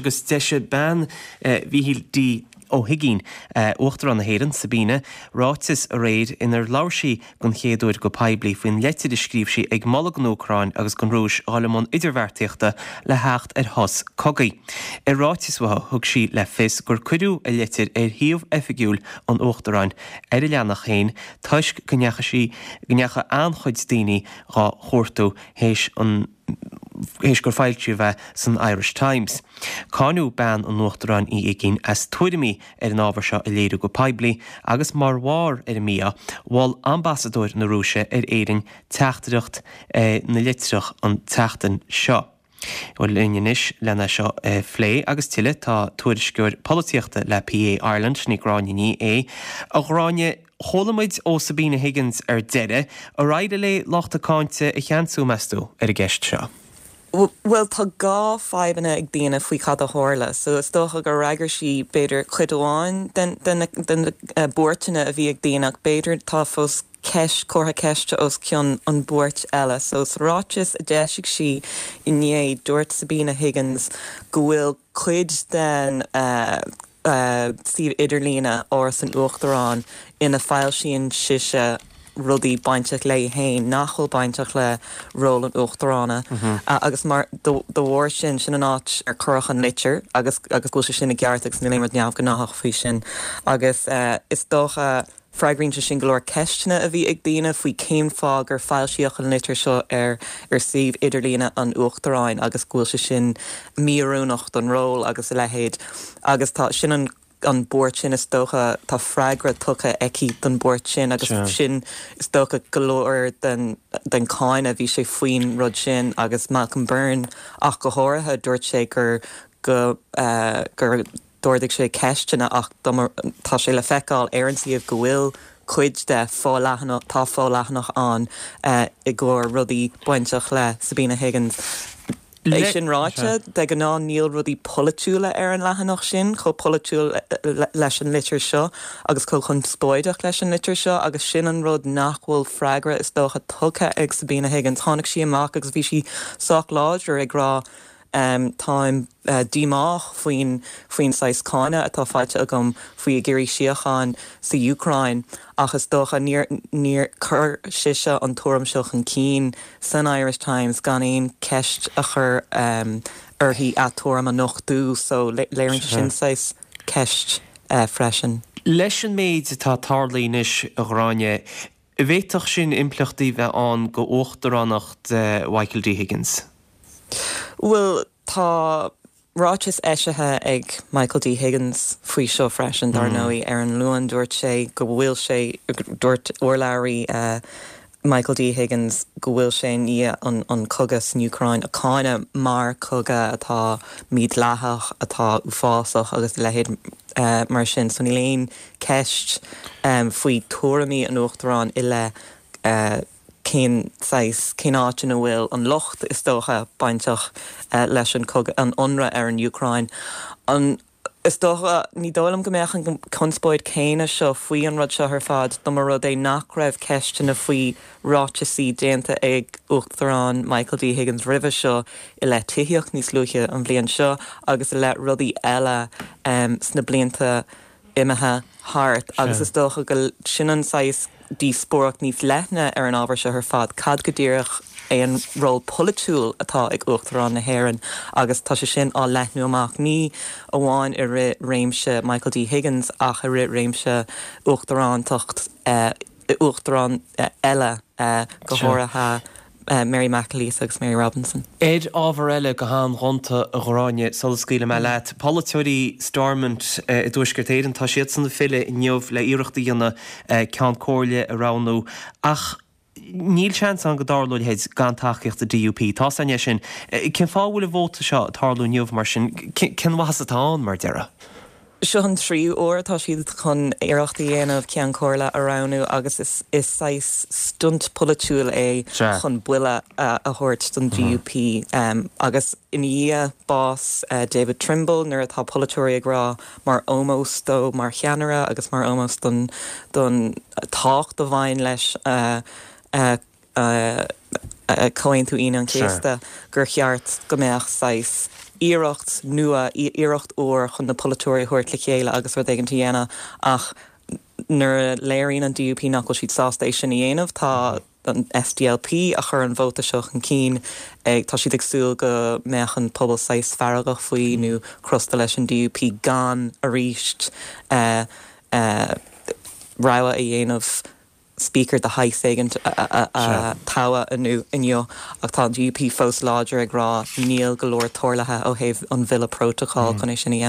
Agus d'eisigh bean Mhíchíl D. Ó hUigínn, Uachtarán na hÉireann, Sabina, ráiteas aréir inar labhair sí den chéad uair go poiblí faoin leitir a scríobh sí ag moladh don Úcráin agus don Rúis dhul i mbun idirbheartaíochta le theacht ar shos cogaidh. I ráiteas uaithi, thug sí le fios gur cuireadh a leitir ar shuíomh oifigiúil an Uachtaráin ar a leathanach féin toisc go ndeachaigh sí, go ndeachaigh an-chuid daoine dhá chuartú théis an. théis gur foilsíodh é san Irish Times. Cáineadh bean an Uachtaráin Uí Uigínn as tuairimí ar an ábhar seo a léiriú go poiblí agus mar bharr ar an mí-ádh, mhol ambasadóir na Rúise ar Éirinn teachtaireacht na litreach an tseachtain seo. Bhuel, linn anois lena seo a phlé agus tuilleadh tá tuairisceoir polaitíochta le PA Ireland, sin í Gráinne Ní Aodha. A Ghráinne, Chuala muid ó Sabina Higgins ar deireadh. Ar éirigh léi lucht a cáinte a cheansú, meas tú, ar an gceist seo? Bhuel, tá dhá fadhbanna ag daoine faoi cad a tharla. So is dócha gur fhreagair sí b'fhéidir cuid amháin den den na buairteanna a bhí ag daoine ach b'fhéidir tá fós ceist, comhartha ceiste os cionn an buairt eile. So sa ráiteas a d'eisigh sí inné dúirt Sabina Higgins go bhfuil cuid den suíomh idirlíne Áras an Uachtaráin ina foilsíonn sise rudaí bainteach léi féin nach bhfuil bainteach le ról an Uachtarána agus mar de bharr sin, sin an áit ar cuireadh an litir agus agus go bhfuil sé sin i gceart agus níl aon rud neamhghnáthach faoi sin agus is dócha Freagraíonn sé sin go leor ceisteanna a bhí ag daoine faoi cén fáth gur foilsíodh an litir seo ar ar suíomh idirlíne an Uachtaráin agus go bhfuil sé sin mí-oiriúnach don ról agus a leithéid. Agus tá, sin an an buairt sin is dócha, tá freagra tugtha aici don buairt sin agus sin is dócha go leor den den cáineadh, bhí sé faoin rud sin agus Malcolm Byrne ach go háirithe, dúirt sé gur go gur D'ardaigh sé ceisteanna ach tá sé le feiceáil ar an suíomh go bhfuil cuid de fo-leathanach, tá fo-leathanach ann i gcomhair rudaí bainteach le Sabina Higgins. É sin ráite, de ghnáth níl rudaí polaitiúla ar an leathanach sin, chomh polaitiúil leis an litir seo agus chomh conspóideach leis an litir seo agus sin an rud nach bhfuil freagra is dócha tugtha ag Sabina Higgins. Tháinig sí amach agus bhí sí sách láidir ag rá Táim díomách faoin faoin saghas cáineadh atá faighte agam faoi ag iarraidh síocháin sa Úcráin ach is dócha níor níor chuir sise an tuairim seo chun cinn san Irish Times gan aon cheist a chur uirthi a tuairim a nochtú so léiríonn sé sin saghas ceist freisin. Leis an méid atá tarlaithe anois, a Ghráinne, An bhféadfadh sin impleachtaí bheith ann go uachtaránacht Mhichael D. Higgins? Bhuel, tá ráiteas eisithe ag Michael D. Higgins faoi seo freisin, dar ndóigh. Ar an Luan dúirt sé go bhfuil sé, dúirt urlabhraí Michael D. Higgins go bhfuil sé i ndiaidh an cogadh san Úcráin a cháineadh mar chogadh atá mídhleathach, atá uafásach agus a leithéid mar sin. So níl aon ceist faoi tuairimí an Uachtaráin i leith cén saghas, cén áit ina bhfuil an locht, is dócha, bainteach leis an cogadh, an ionradh ar an Úcráin. An, is dócha, ní dóigh liom go mbeadh an conspóid céanna seo faoi an rud seo ar fad dá mba rud é nach raibh ceisteanna faoi ráiteasaí déanta ag Uachtarán Michael D. Higgins roimhe seo i leith tithíocht níos luaithe an bhliain seo agus i leith rudaí eile sna blianta imithe thart agus is dócha go sin an saghas díospóireacht níos leithne ar an ábhar seo ar fad, cad go díreach é an ról polaitiúil atá ag Uachtarán na hÉireann agus tá sé sin á leathnú amach ní amháin i rith réimse Michael D. Higgins ach i rith réimse uachtarántacht uachtarán eile go háirithe Mary McAleese agus Mary Robinson. Ar ábhar eile, go han-ghonta, a Ghráinne, sula scaoilfidh mé leat, polaiteoirí Stormont i dTuaisceart Éireann, tá siadsan ag filleadh inniu le iarracht a dhéanamh Ceann Comhairle a roghnú ach níl seans ann go dtarlódh a leithéid gan tacaíocht an DUP. Tá's againn é sin. Cén fáth a bhfuil an vóta seo ag tarlú inniu mar sin? Cén mhaitheas atá ann, mar a déarfá? Seo an tríú uair atá siad chun iarracht a dhéanamh Ceann Comhairle a roghnú agus is saghas stunt polaitiúil é chun buille a thabhairt don DUP agus i ndiaidh bás David Trimble nuair atá polaiteoirí ag rá mar ómós dó mar cheannaire agus mar ómós don don tábhacht a bhain leis. Comhaontú Aoine an Chéasta, gur cheart go mbeadh saghas iarracht nua, iarracht úr chun na polaiteoirí a thabhairt le chéile agus rud éigin a dhéanamh ach nuair a léiríonn an DUP nach bhfuil siad sásta é sin a dhéanamh, tá an SDLP a chuir an vóta seo chun cinn ag, tá siad ag súil go mbeadh an pobal saghas feargach faoi nó crosta leis an DUP gan arís rogha a dhéanamh. Speaker de shaghas éigin a toghadh inniu ach tá an DUP fós láidir ag rá níl go leor tarlaithe ó thaobh an bhille prótacail chun é sin a dhéanamh.